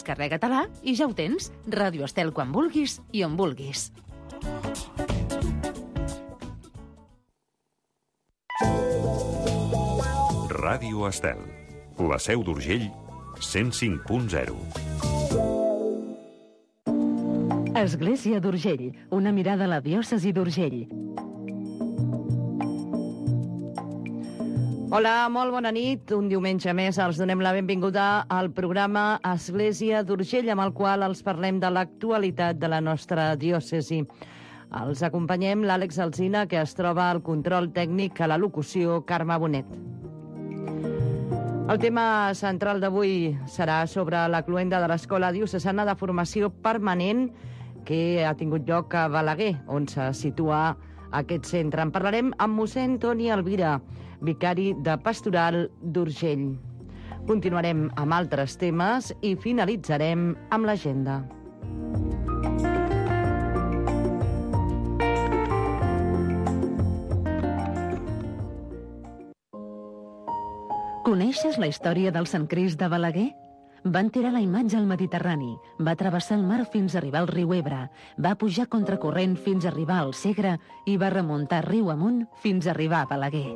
Descarrega-te-la i ja ho tens. Ràdio Estel quan vulguis i on vulguis. Ràdio Estel. La Seu d'Urgell, 105.0. Església d'Urgell, una mirada a la diòcesi d'Urgell. Hola, molt bona nit. Un diumenge més els donem la benvinguda al programa Església d'Urgell, amb el qual els parlem de l'actualitat de la nostra diòcesi. Els acompanyem l'Àlex Alsina, que es troba al control tècnic, a la locució Carme Bonet. El tema central d'avui serà sobre la cloenda de l'Escola Diocesana de Formació Permanent que ha tingut lloc a Balaguer, on se situa aquest centre. En parlarem amb mossèn Toni Elvira, vicari de Pastoral d'Urgell. Continuarem amb altres temes i finalitzarem amb l'agenda. Coneixes la història del Sant Crist de Balaguer? Va enterrar la imatge al Mediterrani, va travessar el mar fins a arribar al riu Ebre, va pujar contracorrent fins a arribar al Segre i va remuntar riu amunt fins a arribar a Balaguer.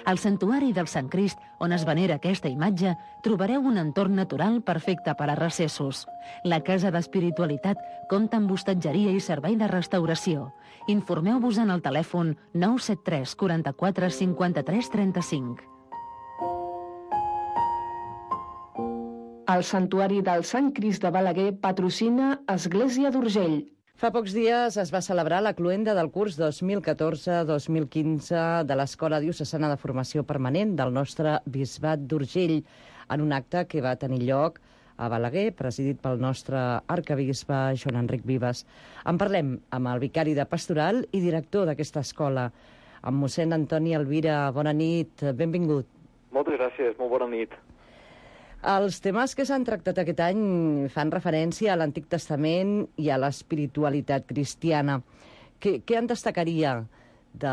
Al santuari del Sant Crist, on es venera aquesta imatge, trobareu un entorn natural perfecte per a recessos. La Casa d'Espiritualitat compta amb hostatgeria i servei de restauració. Informeu-vos en el telèfon 973 44 53 35. El Santuari del Sant Crist de Balaguer patrocina Església d'Urgell. Fa pocs dies es va celebrar la cloenda del curs 2014-2015 de l'Escola Diocesana de Formació Permanent del nostre Bisbat d'Urgell, en un acte que va tenir lloc a Balaguer, presidit pel nostre arcabisbe Joan Enric Vives. En parlem amb el vicari de Pastoral i director d'aquesta escola, amb mossèn Antoni Elvira. Bona nit, benvingut. Moltes gràcies, molt bona nit. Els temes que s'han tractat aquest any fan referència a l'Antic Testament i a l'espiritualitat cristiana. Què en destacaria de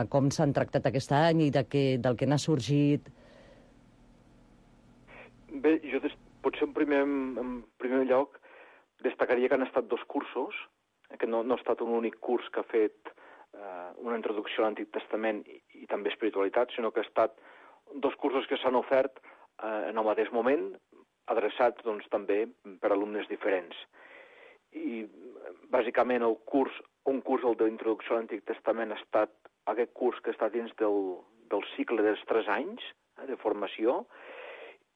com s'han tractat aquest any i del que n'ha sorgit? Bé, jo potser en primer lloc destacaria que han estat dos cursos, que no ha estat un únic curs que ha fet una introducció a l'Antic Testament i també espiritualitat, sinó que ha estat dos cursos que s'han ofert en el mateix moment, adreçats doncs, també per alumnes diferents. I bàsicament un curs d'introducció a l'Antic Testament ha estat aquest curs que està dins del cicle dels 3 anys de formació,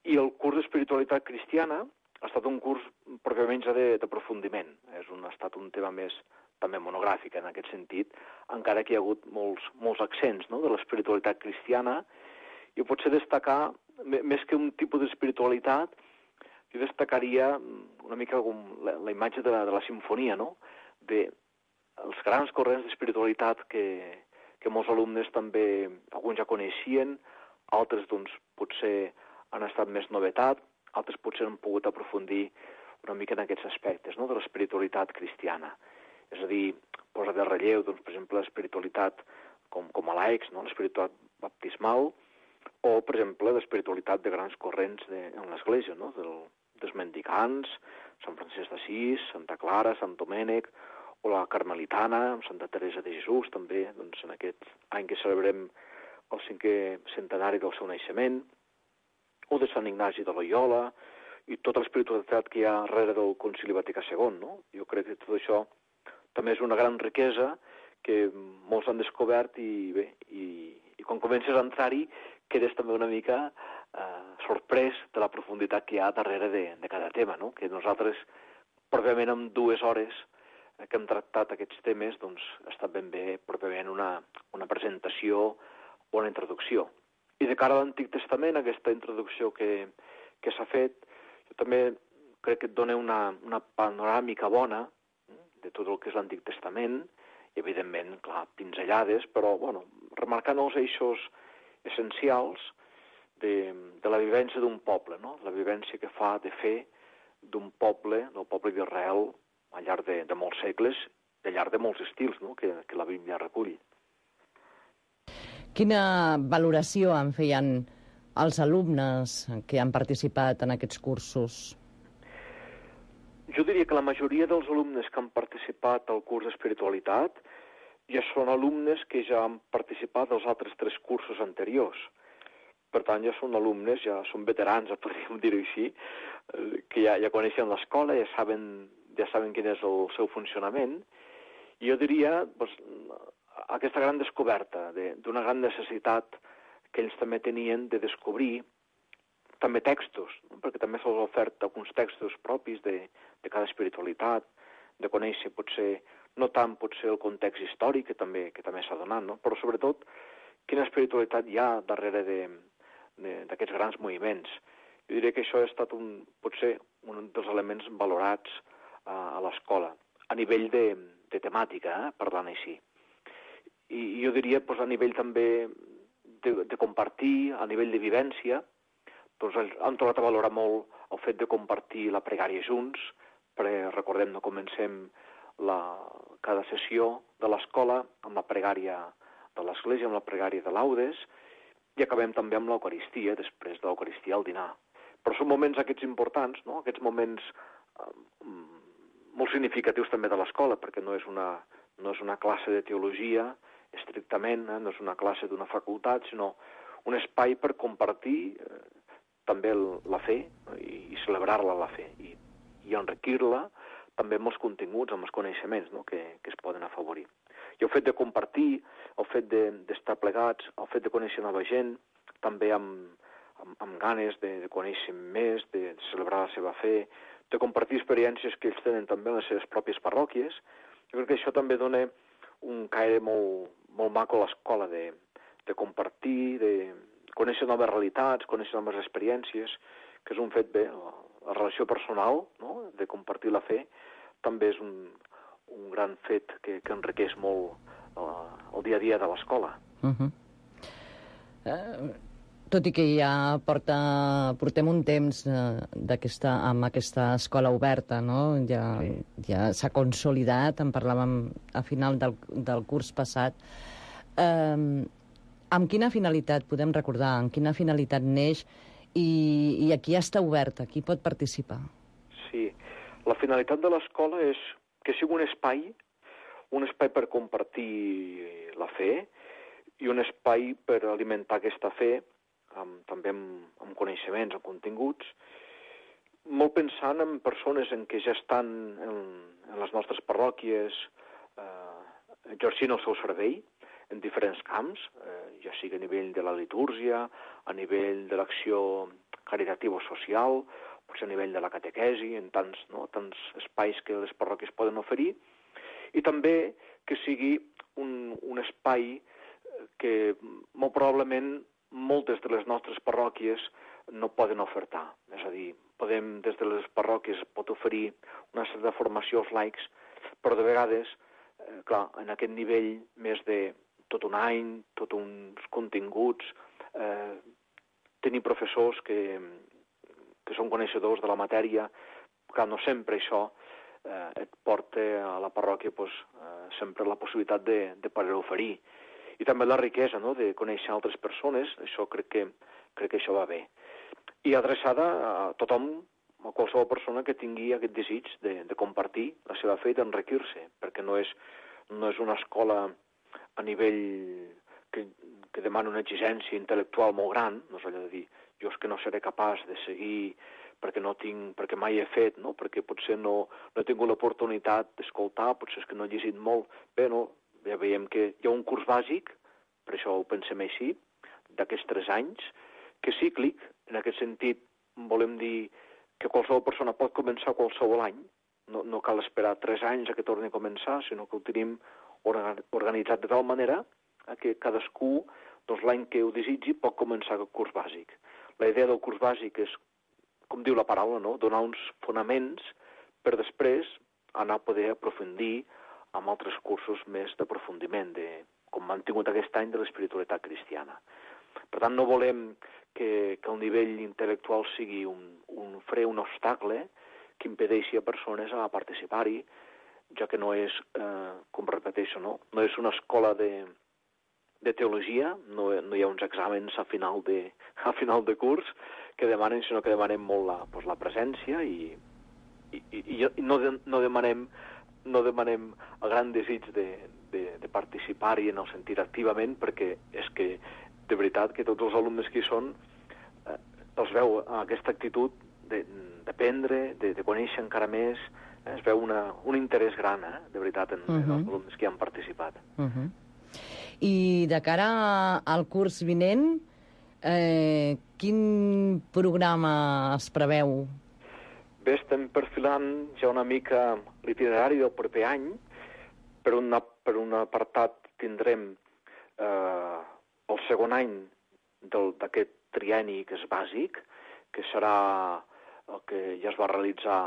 i el curs d'espiritualitat cristiana ha estat un curs pròpiament ja d'aprofundiment. Ha estat un tema més també monogràfic en aquest sentit, encara que hi ha hagut molts accents, no?, de l'espiritualitat cristiana. Jo potser destacar, més que un tipus d'espiritualitat, jo destacaria una mica com la imatge de la simfonia, no?, dels grans corrents d'espiritualitat que molts alumnes també, alguns ja coneixien, altres doncs potser han estat més novetat, altres potser han pogut aprofundir una mica en aquests aspectes, no?, de l'espiritualitat cristiana. És a dir, posa de relleu, doncs, per exemple, l'espiritualitat com a laics, no?, l'espiritualitat baptismal, o, per exemple, l'espiritualitat de grans corrents en l'Església, no?, dels mendicants, Sant Francesc d'Assís, Santa Clara, Sant Domènec, o la Carmelitana, amb Santa Teresa de Jesús, també, doncs, en aquest any que celebrem el 5è centenari del seu naixement, o de Sant Ignasi de Loyola, i tota l'espiritualitat que hi ha darrere del Concili Vaticà II, no? Jo crec que tot això també és una gran riquesa que molts han descobert i quan comences a entrar-hi quedes també una mica sorprès de la profunditat que hi ha darrere de cada tema, no? Que nosaltres, pròpiament en 2 hores que hem tractat aquests temes, doncs ha estat ben bé pròpiament una presentació o una introducció. I de cara a l'Antic Testament, aquesta introducció que s'ha fet, jo també crec que et dona una panoràmica bona de tot el que és l'Antic Testament, i evidentment, clar, pinzellades, però, bueno, remarcant els eixos essencials de la vivència d'un poble, no?, la vivència que fa de fer d'un poble, del poble d'Israel, al llarg de molts segles, al llarg de molts estils, no?, que la Bíblia recull. Quina valoració en feien els alumnes que han participat en aquests cursos? Jo diria que la majoria dels alumnes que han participat al curs d'espiritualitat ja són alumnes que ja han participat als altres 3 cursos anteriors. Per tant, ja són alumnes, ja són veterans, podríem dir-ho així, que ja coneixen l'escola, ja saben quin és el seu funcionament. I jo diria aquesta gran descoberta d'una gran necessitat que ells també tenien de descobrir també textos, no? Perquè també se'ls ha ofert alguns textos propis de cada espiritualitat, de conèixer potser, no tant potser el context històric, que també s'ha donat, no? Però sobretot quina espiritualitat hi ha darrere d'aquests grans moviments. Jo diria que això ha estat potser un dels elements valorats a l'escola, a nivell de temàtica, parlant així. I jo diria a nivell també de compartir, a nivell de vivència, han trobat a valorar molt el fet de compartir la pregària junts, perquè recordem, no comencem cada sessió de l'escola amb la pregària de l'església, amb la pregària de laudes, i acabem també amb l'Eucaristia, després de l'Eucaristia al dinar. Però són moments aquests importants, no? Aquests moments molt significatius també de l'escola, perquè no és una classe de teologia estrictament, no és una classe d'una facultat, sinó un espai per compartir també la fe i celebrar-la la fe i enriquir-la també amb els continguts, amb els coneixements, no? que es poden afavorir. I el fet de compartir, el fet d'estar plegats, el fet de conèixer nova gent, també amb ganes de conèixer més, de celebrar la seva fe, de compartir experiències que ells tenen també en les seves pròpies parròquies. Jo crec que això també dona un caire molt maco a l'escola, de compartir, de conèixer noves realitats, conèixer noves experiències, que és un fet bé. La relació personal, no? De compartir la fe, també és un gran fet que enriqueix molt el dia a dia de l'escola. Tot i que ja portem un temps amb aquesta escola oberta, no? Ja s'ha consolidat, en parlàvem a final del curs passat. Amb quina finalitat, podem recordar, amb quina finalitat neix i a qui està oberta, qui pot participar? Sí, la finalitat de l'escola és que sigui un espai per compartir la fe i un espai per alimentar aquesta fe també amb coneixements, amb continguts, molt pensant en persones en què ja estan en les nostres parròquies exercint el seu servei en diferents camps, ja sigui a nivell de la litúrgia, a nivell de l'acció caritativa o social, potser a nivell de la catequesi, en tants espais que les parròquies poden oferir, i també que sigui un espai que molt probablement moltes de les nostres parròquies no poden ofertar. És a dir, des de les parròquies pot oferir una certa formació als laics, però de vegades, clar, en aquest nivell més de tot un any, tots uns continguts, tenir professors que són coneixedors de la matèria, clar, no sempre això et porta a la parròquia sempre la possibilitat de poder oferir. I també la riquesa, no?, de conèixer altres persones, això crec que això va bé. I adreçada a tothom, a qualsevol persona que tingui aquest desig de compartir la seva fe i d'enriquir-se, perquè no és una escola a nivell que demana una exigència intel·lectual molt gran, no és allò de dir, jo és que no seré capaç de seguir perquè mai he fet, no? Perquè potser no he tingut l'oportunitat d'escoltar, potser és que no he llegit molt. Bé, no, ja veiem que hi ha un curs bàsic, per això ho pensem així, d'aquests 3 anys, que és cíclic, en aquest sentit volem dir que qualsevol persona pot començar qualsevol any, no cal esperar 3 anys a que torni a començar, sinó que ho tenim organitzat de tal manera que cadascú, l'any que ho desitgi, pot començar aquest curs bàsic. La idea del curs bàsic és, com diu la paraula, no?, donar uns fonaments per després anar a poder aprofundir amb altres cursos més d'aprofundiment, com han tingut aquest any de l'espiritualitat cristiana. Per tant, no volem que el nivell intel·lectual sigui un fre, un obstacle que impedeixi a persones a participar-hi, ja que no és, com repeteixo, no és una escola de teologia, no hi ha uns exàmens a final de curs que demanen, sinó que demanen molt la presència i i no demanem el gran desig de participar-hi en el sentit activament, perquè és que, de veritat, que tots els alumnes que hi són els veu aquesta actitud d'aprendre, de conèixer encara més, es veu un interès gran, de veritat, en els alumnes que hi han participat. I de cara al curs vinent, quin programa es preveu? Bé, estem perfilant ja una mica l'itinerari del proper any. Per un apartat tindrem el segon any d'aquest trienni que és bàsic, que serà el que ja es va realitzar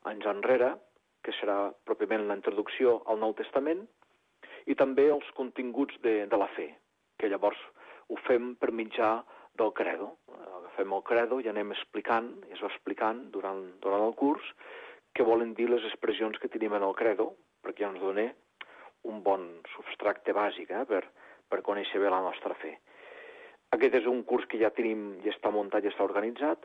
anys enrere, que serà pròpiament la introducció al Nou Testament, i també els continguts de la fe, que llavors ho fem per mitjà del credo. Agafem el credo i anem explicant, i es va explicant durant el curs, què volen dir les expressions que tenim en el credo, perquè ja ens dona un bon substracte bàsic per conèixer bé la nostra fe. Aquest és un curs que ja tenim, ja està muntat, ja està organitzat,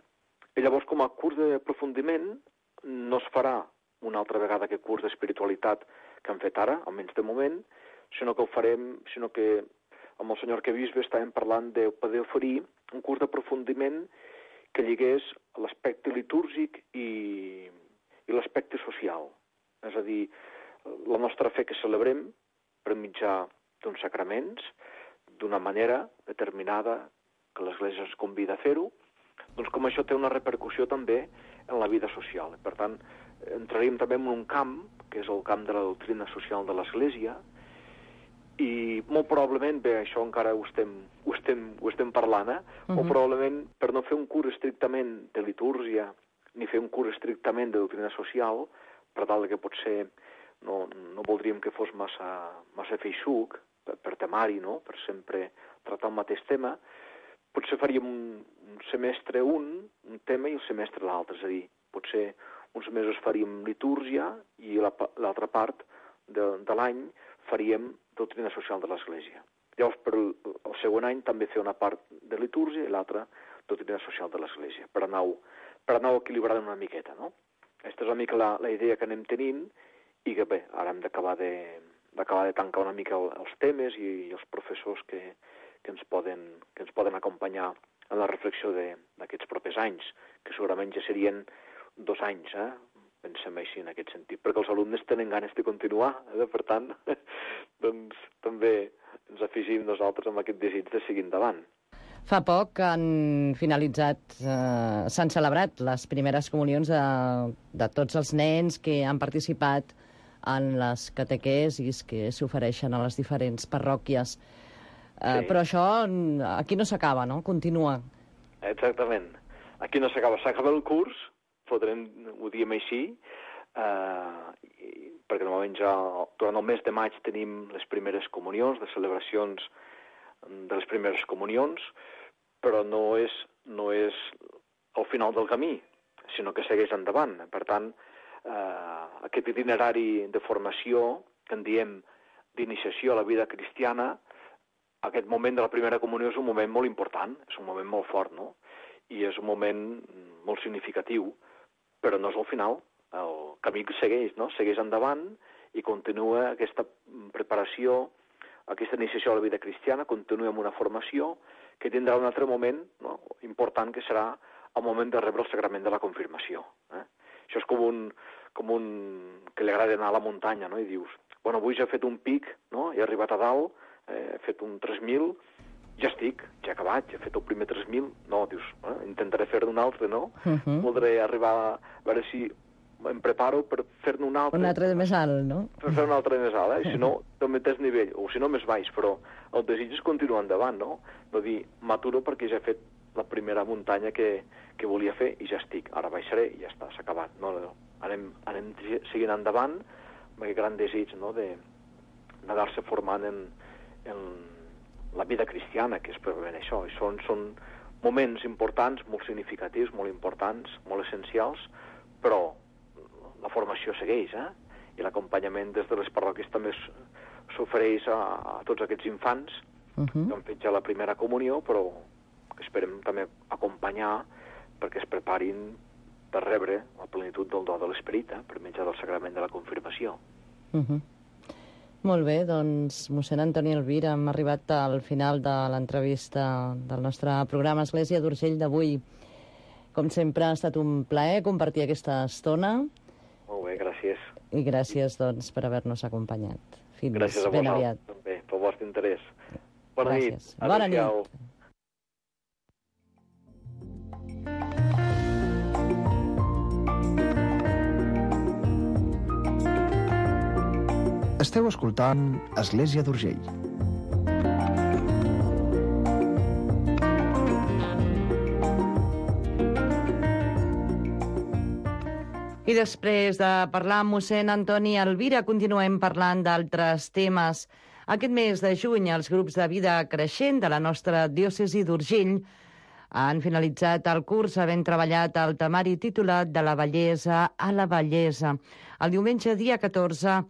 i llavors com a curs d'aprofundiment no es farà una altra vegada aquest curs d'espiritualitat que hem fet ara, almenys de moment, sinó que ho farem, sinó que amb el senyor arquebisbe estàvem parlant de poder oferir un curs d'aprofundiment que lligués l'aspecte litúrgic i l'aspecte social. És a dir, la nostra fe que celebrem per mitjà d'uns sacraments, d'una manera determinada que l'Església ens convida a fer-ho, doncs com això té una repercussió també en la vida social. Per tant, entraríem també en un camp, que és el camp de la doctrina social de l'Església, i molt probablement, bé, això encara ho estem parlant, molt probablement per no fer un curs estrictament de litúrgia, ni fer un curs estrictament de doctrina social, per tal que potser no voldríem que fos massa feixuc, per temari, no?, per sempre tractar el mateix tema, potser faríem un semestre un tema i el semestre l'altre, és a dir, potser uns mesos faríem litúrgia i l'altra part de l'any faríem doctrina social de l'Església. Llavors, per el segon any també fer una part de litúrgia i l'altra doctrina social de l'Església, per anar equilibrant una miqueta, no? Aquesta és una mica la idea que anem tenint i que, bé, ara hem d'acabar de tancar una mica els temes i els professors que ens poden acompanyar en la reflexió d'aquests propers anys, que segurament ja serien 2 anys, pensem així en aquest sentit, perquè els alumnes tenen ganes de continuar, per tant, doncs també ens afegim nosaltres amb aquest desig de seguir endavant. Fa poc han finalitzat, s'han celebrat les primeres comunions de tots els nens que han participat en les catequesis que s'ofereixen a les diferents parròquies. Sí. Però això aquí no s'acaba, no? Continua. Exactament. Aquí no s'acaba. S'acaba el curs, ho diem així, perquè normalment ja durant el mes de maig tenim les primeres comunions, les celebracions de les primeres comunions, però no és el final del camí, sinó que segueix endavant. Per tant, aquest itinerari de formació, que en diem d'iniciació a la vida cristiana, aquest moment de la primera comunió és un moment molt important, és un moment molt fort, no? I és un moment molt significatiu, però no és el final. El camí segueix, no? Segueix endavant i continua aquesta preparació, aquesta iniciació a la vida cristiana, continua amb una formació que tindrà un altre moment, no?, important, que serà el moment de rebre el sagrament de la confirmació. Això és com un que li agrada anar a la muntanya, no?, i dius, bueno, avui ja he fet un pic, no?, he arribat a dalt, he fet un 3.000, ja estic, ja he acabat, ja he fet el primer 3.000, no, dius, intentaré fer-ne un altre, no? Voldré arribar a veure si em preparo per fer-ne un altre. Un altre de més alt, no? Per fer un altre de més alt, si no, del mateix nivell, o si no, més baix, però el desig és continuar endavant, no? No dir, m'aturo perquè ja he fet la primera muntanya que volia fer i ja estic, ara baixaré i ja està, s'ha acabat. No, anem seguint endavant amb aquest gran desig, no?, d'anar-se formant en la vida cristiana, que és probablement això. I són moments importants, molt significatius, molt importants, molt essencials, però la formació segueix, i l'acompanyament des de les parròquies també s'ofereix a tots aquests infants que han fet ja la primera comunió, però que esperem també acompanyar perquè es preparin de rebre la plenitud del do de l'esperit per mitjà del sagrament de la confirmació. Molt bé, doncs, mossèn Antoni Elvira, hem arribat al final de l'entrevista del nostre programa Església d'Urgell d'avui. Com sempre, ha estat un plaer compartir aquesta estona. Molt bé, gràcies. I gràcies, doncs, per haver-nos acompanyat. Fins Gràcies a ben vosaltres, aviat. també, pel vostre interès. Bona Gràcies. nit. Bona nit. Adéu-siau. Esteu escoltant Església d'Urgell. I després de parlar amb mossèn Antoni Elvira, continuem parlant d'altres temes. Aquest mes de juny, els grups de vida creixent de la nostra diòcesi d'Urgell han finalitzat el curs havent treballat el temari titulat De la bellesa a la bellesa. El diumenge, dia 14,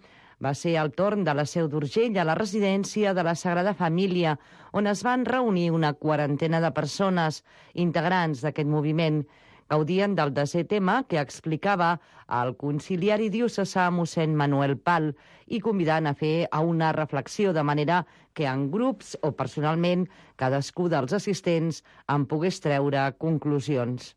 va ser el torn de la Seu d'Urgell a la residència de la Sagrada Família, on es van reunir una quarantena de persones integrants d'aquest moviment. Gaudien del 10è tema que explicava el conciliari diocesà mossèn Manuel Pal i convidant a fer a una reflexió de manera que en grups o personalment cadascú dels assistents en pogués treure conclusions.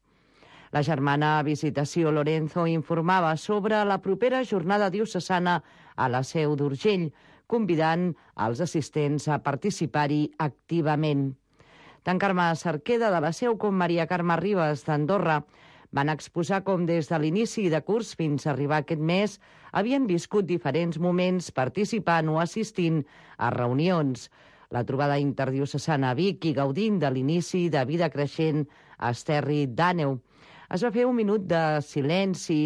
La germana Visitació Lorenzo informava sobre la propera jornada diocesana a la Seu d'Urgell, convidant els assistents a participar-hi activament. Tant Carme Cerqueda de la Seu com Maria Carme Ribas d'Andorra van exposar com des de l'inici de curs fins a arribar aquest mes havien viscut diferents moments participant o assistint a reunions. La trobada interdiocesana a Vic i gaudint de l'inici de vida creixent a Esterri d'Àneu. Es va fer un minut de silenci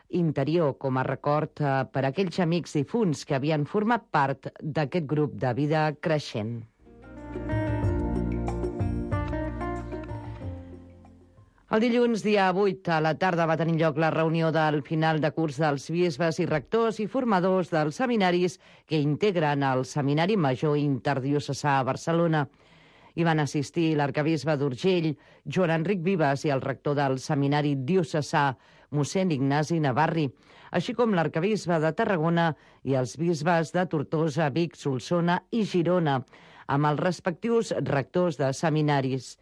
interior com a record per a aquells amics difunts que havien format part d'aquest grup de vida creixent. El dilluns, dia 8, a la tarda, va tenir lloc la reunió del final de curs dels bisbes i rectors i formadors dels seminaris que integren el Seminari Major Interdiocesà a Barcelona. Hi van assistir l'arcabisbe d'Urgell, Joan Enric Vives, i el rector del Seminari Diocesà, mossèn Ignasi Navarri, així com l'arcabisbe de Tarragona i els bisbes de Tortosa, Vic, Solsona i Girona, amb els respectius rectors de seminaris.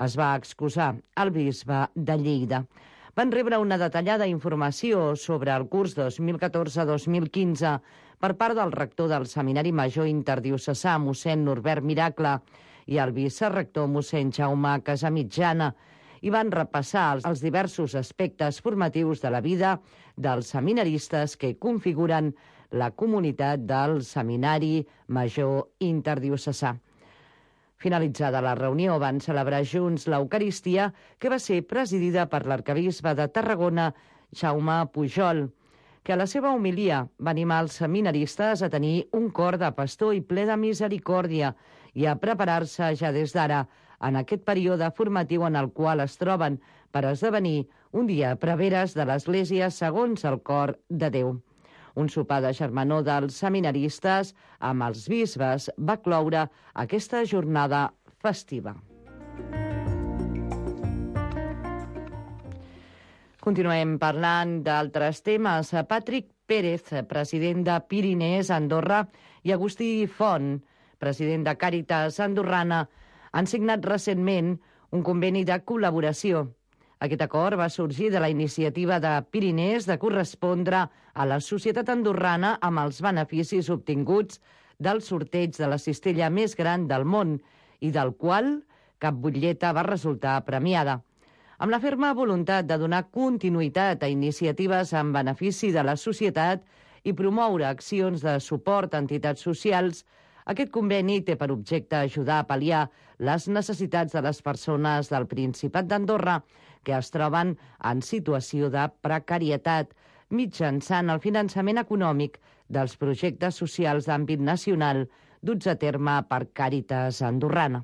Es va excusar el bisbe de Lleida. Van rebre una detallada informació sobre el curs 2014-2015 per part del rector del Seminari Major Interdiocesà, mossèn Norbert Miracle, i el vicerector mossèn Jaume Casamitjana, i van repassar els diversos aspectes formatius de la vida dels seminaristes que configuren la comunitat del Seminari Major Interdiocesà. Finalitzada la reunió, van celebrar junts l'Eucaristia, que va ser presidida per l'arcabisbe de Tarragona, Jaume Pujol, que a la seva homilia va animar els seminaristes a tenir un cor de pastor i ple de misericòrdia i a preparar-se ja des d'ara en aquest període formatiu en el qual es troben per esdevenir un dia preveres de l'Església segons el cor de Déu. Un sopar de germanor dels seminaristes amb els bisbes va cloure aquesta jornada festiva. Continuem parlant d'altres temes. Patrick Pérez, president de Pirinès Andorra, i Agustí Font, president de Càritas Andorrana, han signat recentment un conveni de col·laboració. Aquest acord va sorgir de la iniciativa de Pirinès de correspondre a la societat andorrana amb els beneficis obtinguts del sorteig de la cistella més gran del món i del qual cap butlleta va resultar premiada. Amb la ferma voluntat de donar continuïtat a iniciatives en benefici de la societat i promoure accions de suport a entitats socials, aquest conveni té per objecte ajudar a pal·liar les necessitats de les persones del Principat d'Andorra que es troben en situació de precarietat mitjançant el finançament econòmic dels projectes socials d'àmbit nacional duts a terme per Càritas Andorrana.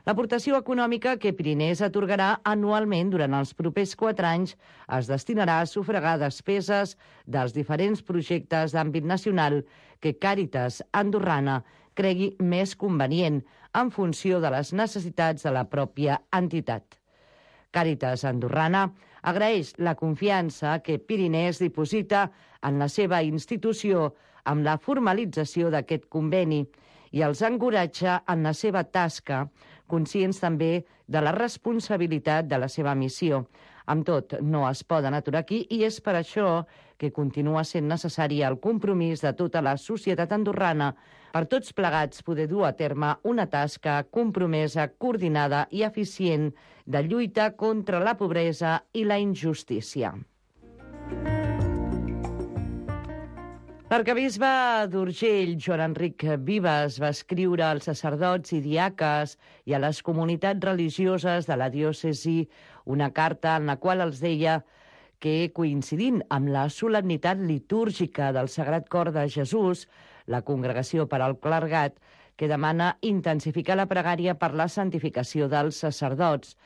L'aportació econòmica que Pirinès atorgarà anualment durant els propers 4 anys es destinarà a sufragar despeses dels diferents projectes d'àmbit nacional que Càritas Andorrana cregui més convenient en funció de les necessitats de la pròpia entitat. Càritas Andorrana agraeix la confiança que Pirinès diposita en la seva institució amb la formalització d'aquest conveni i els encoratja en la seva tasca, conscients també de la responsabilitat de la seva missió. Amb tot, no es poden aturar aquí i és per això que continua sent necessari el compromís de tota la societat andorrana per tots plegats poder dur a terme una tasca compromesa, coordinada i eficient de lluita contra la pobresa i la injustícia. L'arquebisbe d'Urgell, Joan Enric Vives, va escriure als sacerdots i diaques i a les comunitats religioses de la diòcesi una carta en la qual els deia que, coincidint amb la solemnitat litúrgica del Sagrat Cor de Jesús, la Congregació per al Clergat, que demana intensificar la pregària per la santificació dels sacerdots.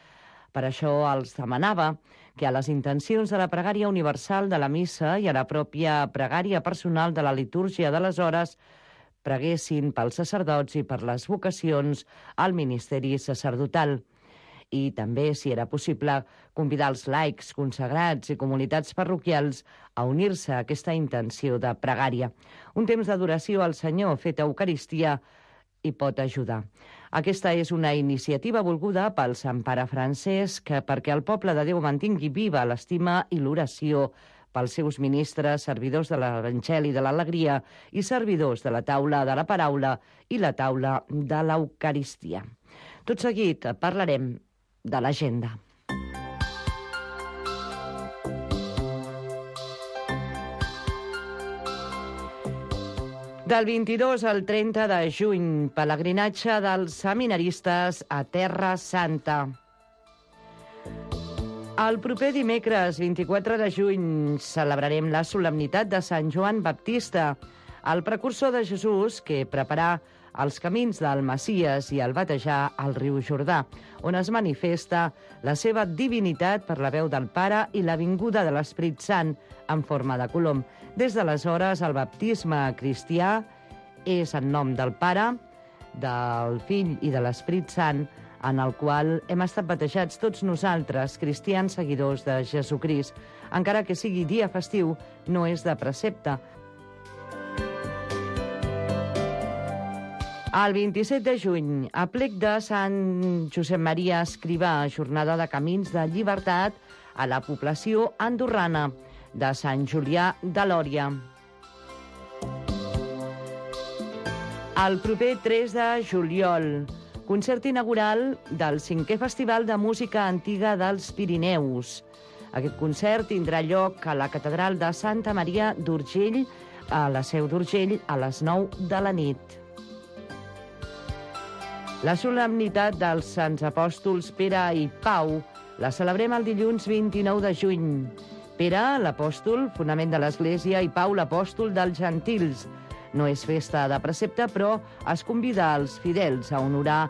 Per això els demanava que a les intencions de la pregària universal de la missa i a la pròpia pregària personal de la litúrgia de les hores preguessin pels sacerdots i per les vocacions al ministeri sacerdotal. I també, si era possible, convidar els laics, consagrats i comunitats parroquials a unir-se a aquesta intenció de pregària. Un temps d'adoració al Senyor fet a Eucaristia hi pot ajudar. Aquesta és una iniciativa volguda pel Sant Pare Francesc perquè el poble de Déu mantingui viva l'estima i l'oració pels seus ministres, servidors de l'Evangeli de l'Alegria i servidors de la taula de la paraula i la taula de l'Eucaristia. Tot seguit parlarem de l'agenda. Del 22 al 30 de juny, pelegrinatge dels seminaristes a Terra Santa. El proper dimecres, 24 de juny, celebrarem la solemnitat de Sant Joan Baptista, el precursor de Jesús que preparà els camins del Messies i el batejar al riu Jordà, on es manifesta la seva divinitat per la veu del Pare i la vinguda de l'Esperit Sant en forma de colom. Des d'aleshores, el baptisme cristià és en nom del Pare, del Fill i de l'Esperit Sant, en el qual hem estat batejats tots nosaltres, cristians seguidors de Jesucrist. Encara que sigui dia festiu, no és de precepte. El 27 de juny, a plec de Sant Josep Maria Escrivà, jornada de camins de llibertat a la població andorrana de Sant Julià de Lòria. El proper 3 de juliol, concert inaugural del 5è Festival de Música Antiga dels Pirineus. Aquest concert tindrà lloc a la Catedral de Santa Maria d'Urgell, a la Seu d'Urgell, a les 9 de la nit. La solemnitat dels Sants Apòstols Pere i Pau la celebrem el dilluns 29 de juny. Pere, l'apòstol, fonament de l'Església, i Pau, l'apòstol dels gentils. No és festa de precepte, però es convida als fidels a honorar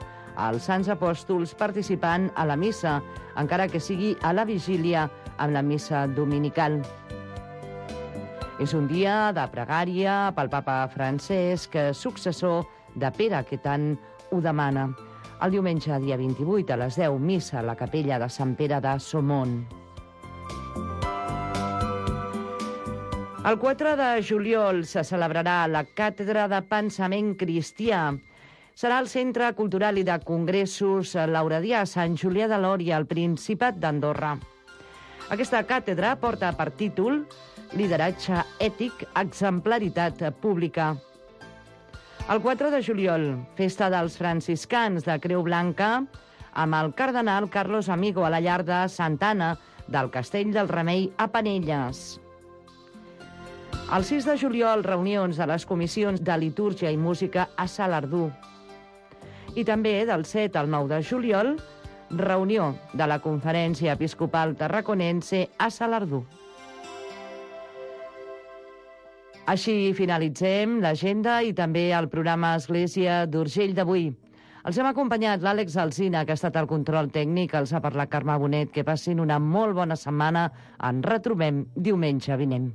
els Sants Apòstols participant a la missa, encara que sigui a la vigília amb la missa dominical. És un dia de pregària pel papa Francesc, successor de Pere, que tant ho demana. El diumenge, dia 28, a les 10, missa a la capella de Sant Pere de Somont. El 4 de juliol se celebrarà la Càtedra de Pensament Cristià. Serà al Centre Cultural i de Congressos Lauradià, Sant Julià de Lòria, al Principat d'Andorra. Aquesta càtedra porta per títol Lideratge ètic, exemplaritat pública. El 4 de juliol, festa dels franciscans de Creu Blanca, amb el cardenal Carlos Amigo a la llar de Santa Anna del Castell del Remei a Penelles. El 6 de juliol, reunions de les comissions de litúrgia i música a Salardú. I també del 7 al 9 de juliol, reunió de la Conferència Episcopal Tarraconense a Salardú. Així finalitzem l'agenda i també el programa Església d'Urgell d'avui. Els hem acompanyat l'Àlex Alsina, que ha estat al control tècnic, els ha parlat Carme Bonet. Que passin una molt bona setmana. Ens retrobem diumenge vinent.